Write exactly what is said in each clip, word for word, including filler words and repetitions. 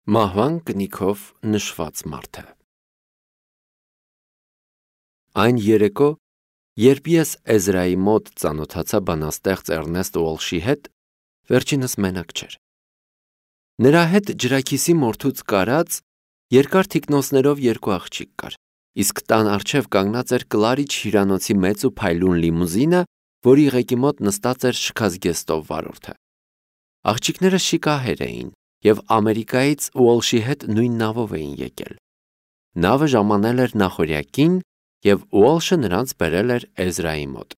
Մահվան կնիքով նշված մարդը։ Այն երեկո, երբ ես Էզրայի մոտ ծանոթացա բանաստեղծ Էռնեստ Ուոլշի հետ, վերջինս մենակ չէր։ Նրա հետ ջրաքիսի մորթուց կարած, երկար թիկնոցներով երկու աղջիկ կար, իսկ տան առջև կանգնած էր Կլարիչ հյուրանոցի մեծ ու փայլուն լիմուզինը, որի ղեկի մոտ նստած էր շքազգեստով վարորդը։ Աղջիկները շիկահեր էին և Ամերիկայից Ուոլշի հետ նույն նավով էին եկել։ Նավը ժամանել էր նախօրյակին, և Ուոլշը նրանց բերել էր Էզրայի մոտ։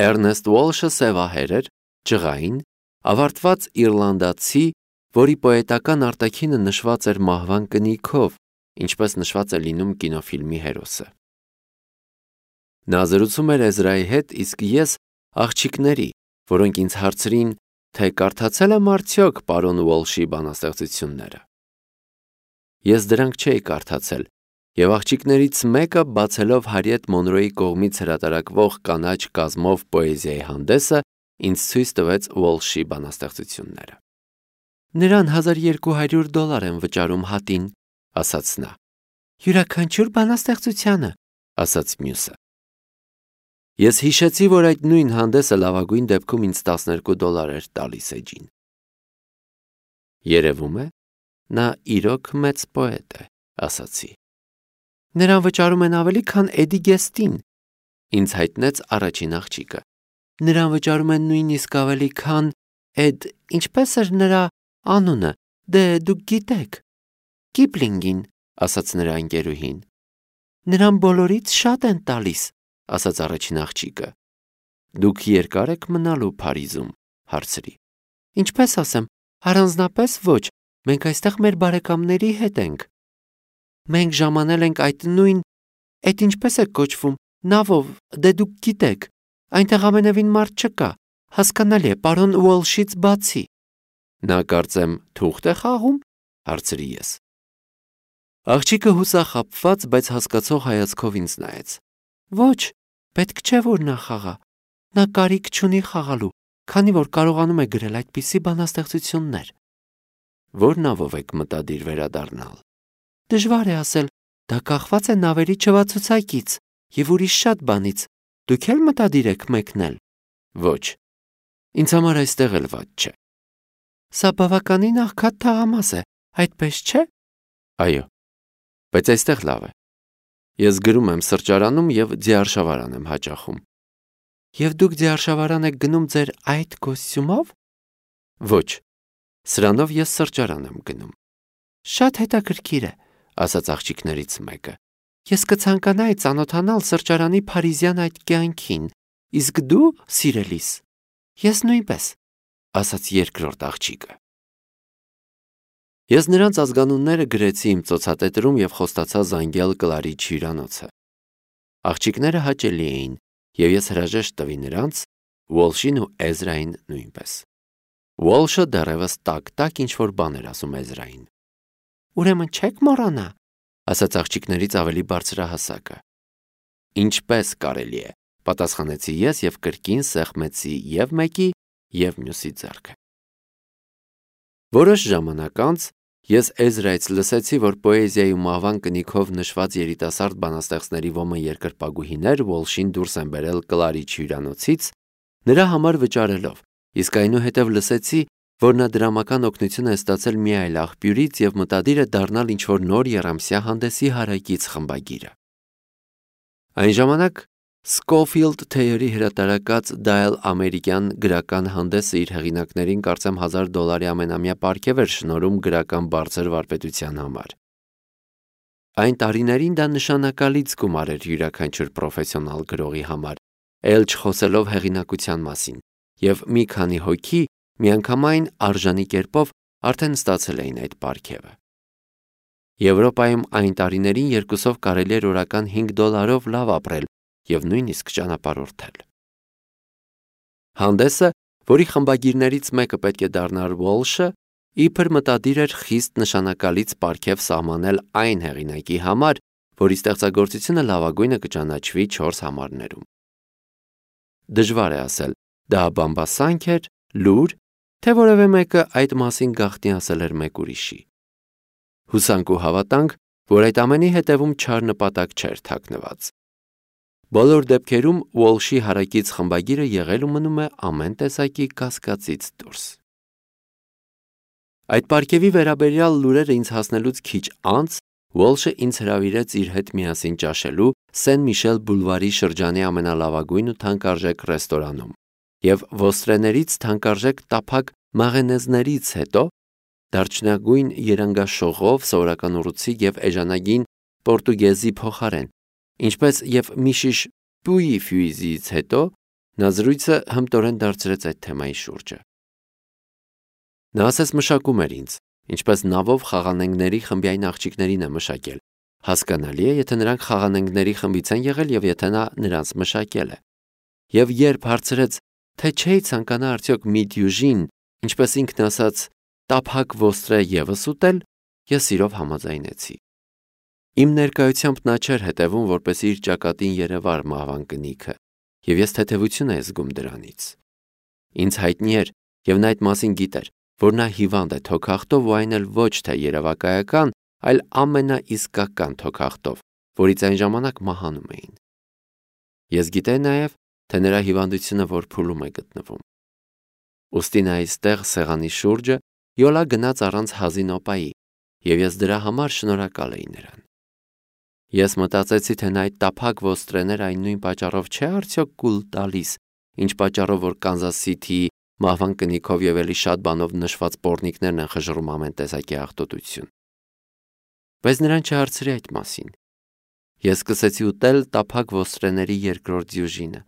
Էռնեստ Ուոլշը սևահեր էր, ջղային, ավարտված իռլանդացի, որի պոետական արտաքինը նշված էր մահվան կնիքով, ինչպես նշված է լինում կինոֆիլմի հերոսը։ Նա զրուցում էր Էզրայի հետ, իսկ ես աղջիկների, որոնք ինձ հարցրին, թե կարդացել եմ արդյոք պարոն Ուոլշի բանաստեղծությունները։ Ես դրանք չէի կարդացել, և աղջիկներից մեկը, բացելով Հարիեթ Մոնրոյի կողմից հրատարակվող կանաչ կազմով պոեզիայի հանդեսը, ինձ ցույց տվեց Ուոլշի բանաստեղծությունները։ Նրան հազար երկու հարյուր դոլար են վճարում հատին, ասաց նա։ Յուրաքանչյուր բանաստեղծությանը, ասաց մյուսը։ Ես հիշեցի, որ այդ նույն հանդեսը լավագույն դեպքում ինձ տասներկու դոլար էր տալիս էջին։ Երևում է, նա իրոք մեծ պոետ է, ասացի։ Նրան վճարում են ավելի, քան Էդի Գեստին, ինձ հայտնեց առաջին աղջիկը։ Նրան վճարում են նույնիսկ ավելի, քան Էդ, ինչպես էր նրա անունը, դե դուք գիտեք, Կիպլինգին, ասաց նրա ընկերուհին։ Նրան բոլորից շատ են տալիս, ասաց առաջին աղջիկը։ Դուք երկար եք մնալու Փարիզում, հարցրի։ Ինչպես ասեմ, առանձնապես ոչ, մենք այստեղ մեր բարեկամների հետ ենք։ Մենք ժամանել ենք այդ նույն, էդ ինչպես է կոչվում, նավով, դե դուք գիտեք, այնտեղ ամենևին մարդ չկա, հասկանալի է, պարոն Ուոլշից բացի։ Նա կարծեմ թուղթ է խաղում, հարցրի ես։ Աղջիկը հուսախաբված, բայց հասկացող հայացքով ինձ նայեց։ Ոչ, պետք չէ, որ նա խաղա։ Նա կարիք չունի խաղալու, քանի որ կարողանում է գրել այդպիսի բանաստեղծություններ։ Որ նավով եք մտադիր վերադառնալ։ Դժվար է ասել, դա կախված է նավերի չվացուցակից և ուրիշ շատ բանից։ Դուք էլ մտադիր եք մեկնել։ Ոչ, ինձ համար այստեղ էլ վատ չէ։ Սա բավականին աղքատ թաղամաս է, այդպես չէ։ Այո, բայց այստեղ լավ է։ Ես գրում եմ սրճարանում և ձիարշավարան եմ հաճախում։ Եվ դուք ձիարշավարան եք գնում ձեր այդ կոստյումով։ Ոչ, սրանով ես սրճարան եմ գնում։ Շատ հետաքրքիր է, ասաց աղջիկներից մեկը։ Ես կցանկանայի ծանոթանալ սրճարանի փարիզյան այդ կյանքին, իսկ դու, սիրելիս, ես նույնպես, ասաց երկրորդ աղջիկը։ Ես նրանց ազգանունները գրեցի իմ ծոցատետրում և խոստացա զանգել Կլարիչ հյուրանոցը։ Աղջիկները հաճելի էին, և ես հրաժեշտ տվի նրանց, Ուոլշին ու Էզրային նույնպես։ Ուոլշը դեռևս տակ-տակ ինչ-որ բան էր ասում Էզրային։ Ուրեմն չեք մոռանա, ասաց աղջիկներից ավելի բարձրահասակը։ Ինչպես կարելի է, պատասխանեցի ես և կրկին սեղմեցի և մեկի, և մյուսի ձեռքը։ Որոշ ժամանակ անց ես Էզրայից լսեցի, որ պոեզիայի ու մահվան կնիքով նշված երիտասարդ բանաստեղծների ոմն երկրպագուհիներ Ուոլշին դուրս են բերել Կլարիչ հյուրանոցից, նրա համար վճարելով, իսկ այնուհետև լսեցի, որ նա դրամական օգնություն է ստացել մի այլ աղբյուրից և մտադիր է դառնալ ինչ-որ նոր եռամսյա հանդեսի հարակից խմբագիրը։ Այն ժամանակ Սքոֆիլդ Թեյերի հրատարակած Դայլ ամերիկյան գրական հանդեսը իր հեղինակներին կարծեմ հազար դոլարի ամենամյա պարգև էր շնորհում գրական բարձր վարպետության համար։ Այն տարիներին դա նշանակալից գումար էր յուրաքանչյուր պրոֆեսիոնալ գրողի համար, էլ չխոսելով հեղինակության մասին, և մի քանի հոգի միանգամայն արժանի կերպով արդեն ստացել էին այդ պարգևը։ Եվրոպայում այն տարիներին երկուսով կարելի էր օրական հինգ դոլարով լավ ապրել և նույնիսկ ճանապարհորդել։ Հանդեսը, որի խմբագիրներից մեկը պետք է դառնար Ուոլշը, իբր մտադիր էր խիստ նշանակալից պարգև սահմանել այն հեղինակի համար, որի ստեղծագործությունը լավագույնը կճանաչվի չորս համարներում։ Դժվար է ասել, դա բամբասանք էր, լուր, թե որևէ մեկը այդ մասին գաղտնի ասել էր մեկ ուրիշի։ Հուսանք ու հավատանք, որ այդ ամենի հետևում չար նպատակ չէր թաքնված։ Բոլոր դեպքերում Ուոլշի հարակից խմբագիրը եղել ու մնում է ամեն տեսակի կասկածից դուրս։ Այդ պարգևի վերաբերյալ լուրերը ինձ հասնելուց քիչ անց Ուոլշը ինձ հրավիրեց իր հետ միասին ճաշելու Սեն Միշել բուլվարի շրջանի ամենալավագույն ու թանկարժեք ռեստորանում, և ոստրեներից թանկարժեք տափակ մաղենեզներից հետո դարչնագույն երանգաշողով, սովորական ուռուցիկ և էժանագին պորտուգեզի փոխարեն, ինչպես և մի շիշ պուի ֆյուիզից հետո նա զրույցը հմտորեն դարձրեց այդ թեմայի շուրջը։ Նա ասես մշակում էր ինձ, ինչպես նավով խաղանենգների խմբային աղջիկներին է մշակել, հասկանալի է, եթե նրանք խաղանենգների խմբից են եղել և եթե նա նրանց մշակել է։ Եվ երբ հարցրեց, թե չէի ցանկանա արդյոք մի դյուժին, ինչպես ինքն ասաց, տափակ ոստրե ևս ուտել, ես սիրով համաձայնեցի։ Իմ ներկայությամբ նա չէր հետևում, որպեսզի իր ճակատին երևար մահվան կնիքը, և ես թեթևություն էի զգում դրանից։ Ինձ հայտնի էր, և նա այդ մասին գիտեր, որ նա հիվանդ է թոքախտով ու այն էլ ոչ թե երևակայական, այլ ամենաիսկական թոքախտով, որից այն ժամանակ մահանում էին։ Ես գիտեի նաև, թե նրա հիվանդությունը որ փուլում է գտնվում։ Ուստի նա այստեղ սեղանի շուրջը յոլա գնաց առանց հազին օպայի, և ես դրա համար շնորհակալ էի նրան։ Ես մտածեցի, թե նա այդ տափակ ոստրեները այն նույն պատճառով չէ արդյոք կուլ տալիս, ինչ պատճառով որ Կանզաս Սիթիի մահվան կնիքով և էլի շատ բանով նշված պոռնիկներն են խժռում ամեն տեսակի աղտոտություն։ Բայց նրան չհարցրի այդ մասին։ Ես սկսեցի ուտել տափակ ոստրեների երկրորդ դյուժինը։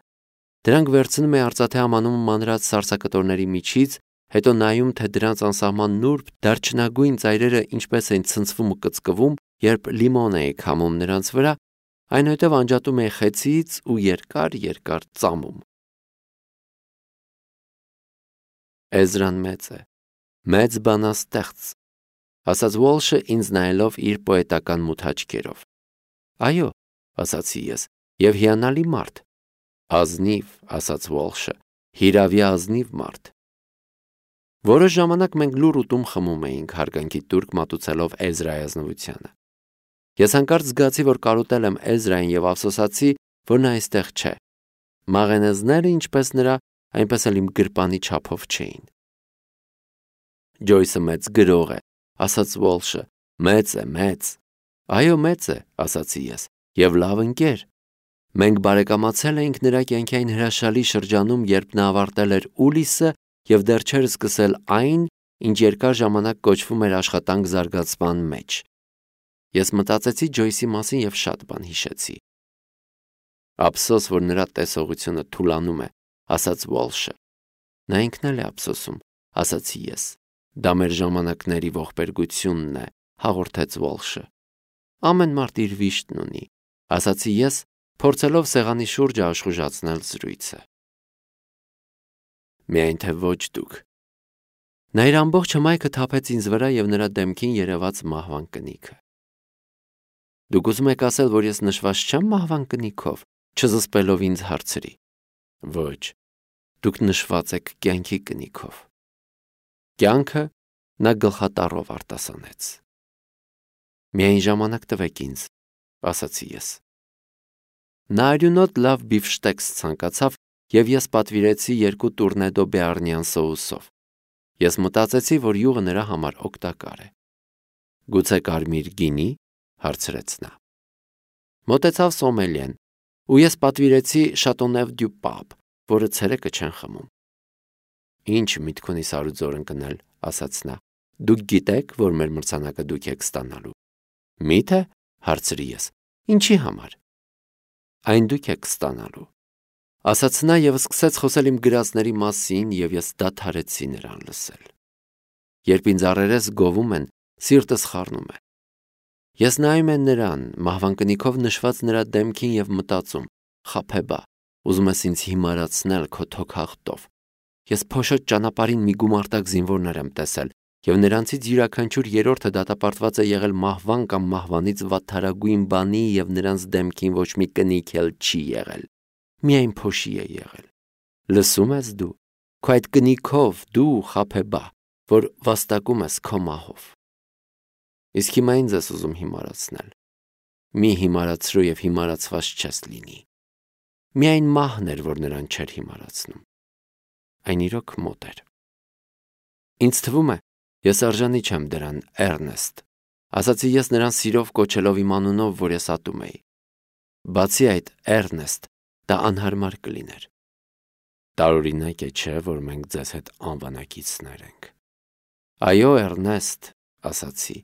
Դրանք վերցնում էի արծաթե ամանում մանրած սառցակտորների միջից, հետո նայում, թե դրանց անսահման նուրբ դարչնագույն ծայրերը ինչպես էին ցնցվում ու կծկվում, երբ լիմոն էի քամում նրանց վրա, այնուհետև անջատում էի խեցից ու երկար-երկար ծամում։ Էզրան մեծ է, մեծ բանաստեղծ, ասաց Ուոլշը ինձ նայելով իր պոետական մութ աչքերով։ Այո, ասացի ես, և հիանալի մարդ։ Ազնիվ, ասաց Ուոլշը, հիրավի ազնիվ մարդ։ Որոշ ժամանակ մենք լուռ ուտում խմում էինք, հարգանքի տուրք մատուցելով Էզրայի ազնվությանը։ Ես հանկարծ զգացի, որ կարոտել եմ Էզրային և ափսոսացի, որ նա այստեղ չէ։ Մաղենեզները, ինչպես նրա, այնպես էլ իմ գրպանի չափով չէին։ Ջոյսը մեծ գրող է, ասաց Ուոլշը, մեծ է, մեծ։ Այո, մեծ է, ասացի ես, և լավ ընկեր։ Մենք բարեկամացել էինք նրա կյանքի այն հրաշալի շրջանում, երբ նա ավարտել էր Ուլիսը և դեռ չէր սկսել այն, ինչ երկար ժամանակ կոչվում էր աշխատանք զարգացման մեջ։ Ես մտածեցի Ջոյսի մասին և շատ բան հիշեցի։ Ափսոս, որ նրա տեսողությունը թուլանում է, ասաց Ուոլշը։ Նա ինքն էլ է ափսոսում, ասացի ես։ Դա մեր ժամանակների ողբերգությունն է, հաղորդեց Ուոլշը։ Ամեն մարդ իր վիշտն ունի, ասացի ես, փորձելով սեղանի շուրջը աշխուժացնել զրույցը։ Միայն թե ոչ դուք։ Նա իր ամբողջ հմայքը թափեց ինձ վրա և նրա դեմքին երևաց մահվան կնիքը։ Դուք ուզում եք ասել, որ ես նշված չեմ մահվան կնիքով, չզսպելով ինձ հարցրի։ Ոչ, դուք նշված եք կյանքի կնիքով։ Կյանքը նա գլխատառով արտասանեց։ Միայն ժամանակ տվեք ինձ, ասացի ես։ Նա արյունոտ լավ բիֆշտեքս ցանկացավ և ես պատվիրեցի երկու տուրնեդո բեառնյան սոուսով։ Ես մտածեցի, որ յուղը նրա համար օգտակար է։ Գուցե կարմիր գինի, հարցրեց նա։ Մոտեցավ սոմելիեն, ու ես պատվիրեցի Շատոնև դյու Պապ, որը ցերեկը չեն խմում։ Ինչ միտք ունի սարուձոր ընկնել, ասաց նա։ Դուք գիտեք, որ մեր մրցանակը դուք եք ստանալու։ Մի՞թե, հարցրի ես։ Ինչի համար։ Այն դուք եք ստանալու, ասաց նա և սկսեց խոսել իմ գրածների մասին, և ես դադարեցի նրան լսել։ Երբ ինձ առերես գովում են, սիրտս խառնում է։ Ես նայում եմ նրան, մահվան կնիքով նշված նրա դեմքին և մտածում. խաբեբա, ուզում ես ինձ հիմարացնել քո թոքախտով։ Ես փոշոտ ճանապարհին մի գումարտակ զինվորներ եմ տեսել, և նրանցից յուրաքանչյուր երրորդը դատապարտված է եղել մահվան կամ մահվանից վատթարագույն բանի և նրանց դեմքին ոչ մի կնիք էլ չի եղել, միայն փոշի է եղել։ Լսում ես դու, քո այդ կնիքով դու խաբեբա, որ վաստակում ես քո մահով։ Իսկ հիմա ինձ ես ուզում հիմարացնել։ Մի հիմարացրու եւ հիմարացված չես լինի։ Միայն մահն էր, որ նրան չէր հիմարացնում։ Այն իրոք մոտ էր։ Ինձ թվում է, ես արժանի չեմ դրան, Էրնեստ, ասացի ես նրան սիրով կոչելով իմ անունով, որ ես ատում էի։ Բացի այդ, Էրնեստ, դա անհարմար կլիներ։ Տարօրինակ է, չէ, որ մենք ձեզ հետ անվանակիցներ ենք։ Այո, Էրնեստ, ասացի,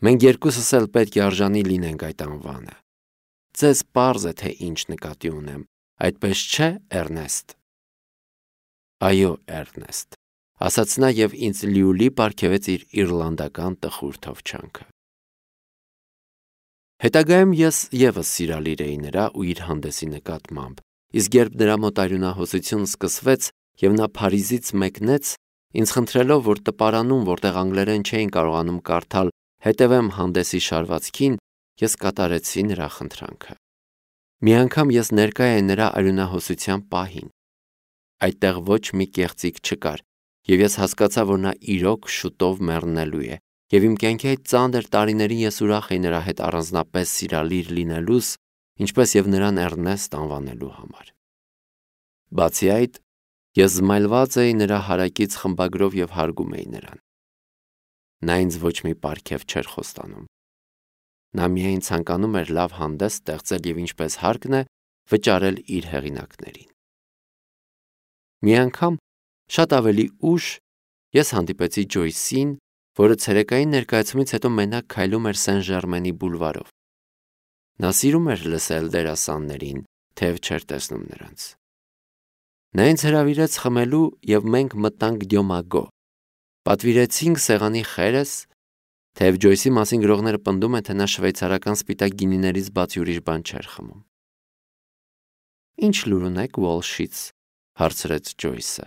մենք երկուսս էլ պետք է արժանի լինենք այդ անվանը։ Ձեզ պարզ է, թե ինչ նկատի ունեմ, այդպես չէ, Էրնեստ։ Այո, Էրնեստ, ասաց նա եւ ինձ լիուլի պարգևեց իր իռլանդական տխուր թովչանքը։ Հետագայում ես եւս սիրալիր էի նրա ու իր հանդեսի նկատմամբ, իսկ երբ նրա մոտ արյունահոսություն սկսվեց եւ նա Փարիզից մեկնեց, ինձ խնդրելով, որ տպարանում, որտեղ անգլերեն չէին կարողանում կարդալ, հետևեմ հանդեսի շարվածքին, ես կատարեցի նրա խնդրանքը։ Մի անգամ ես ներկա էի նրա արյունահոսության պահին։ Այդտեղ ոչ մի կեղծիք չկար, եւ ես հասկացա, որ նա իրոք շուտով մեռնելու է, եւ իմ կյանքի այդ ծանր տարիներին ես ուրախ էի նրա հետ առանձնապես սիրալիր լինելուս, ինչպես եւ նրան Էրնեստ անվանելու համար։ Բացի այդ, ես զմայլված էի նրա հարակից խմբագրով եւ հարգում էի նրան։ Նա ինձ ոչ մի պարգև չէր խոստանում։ Նա միայն ցանկանում էր լավ հանդես ստեղծել եւ ինչպես հարկն է, վճարել իր հեղինակներին։ Մի անգամ, շատ ավելի ուշ, ես հանդիպեցի Ջոյսին, որը ցերեկային ներկայացումից հետո մենակ քայլում էր Սեն-Ժերմենի բուլվարով։ Նա սիրում էր լսել դերասաններին, թեև չէր տեսնում նրանց։ Նա ինձ հրավիրեց խմելու եւ մենք մտանք Դյոմագո։ Պատվիրեցինք սեղանի խերս, թեև Ջոյսի մասին գրողները պնդում են, թե նա շվեյցարական սպիտակ գինիներից բացի ուրիշ բան չէր խմում։ Ինչ լուր ունեք Ուոլշից, հարցրեց Ջոյսը։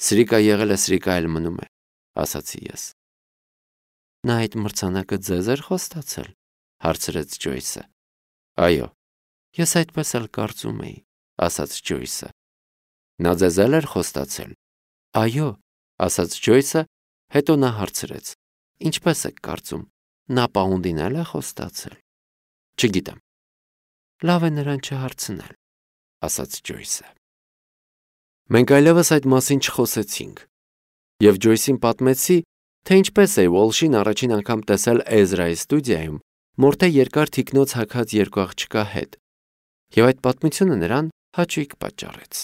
Սրիկա եղել է, սրիկա էլ մնում է, ասացի ես։ Նա այդ մրցանակը ձեզ էր խոստացել, հարցրեց Ջոյսը։ Այո, ես այդպես էլ կարծում էի, ասաց Ջոյսը։ Նա ձեզ էլ էր խոստացել։ Այո, ասաց Ջոյսը, հետո նա հարցրեց. Ինչպես եք կարծում, նա պաունդին էլ է խոստացել։ Չգիտեմ։ Լավ է նրան չհարցնել, ասաց Ջոյսը։ Մենք այլևս այդ մասին չխոսեցինք, եւ Ջոյսին պատմեցի, թե ինչպես է Ուոլշին առաջին անգամ տեսել Էզրայի ստուդիայում, մորթե երկար թիկնոց հագած երկու աղջկա հետ, եւ այդ պատմությունը նրան հաճույք պատճառեց։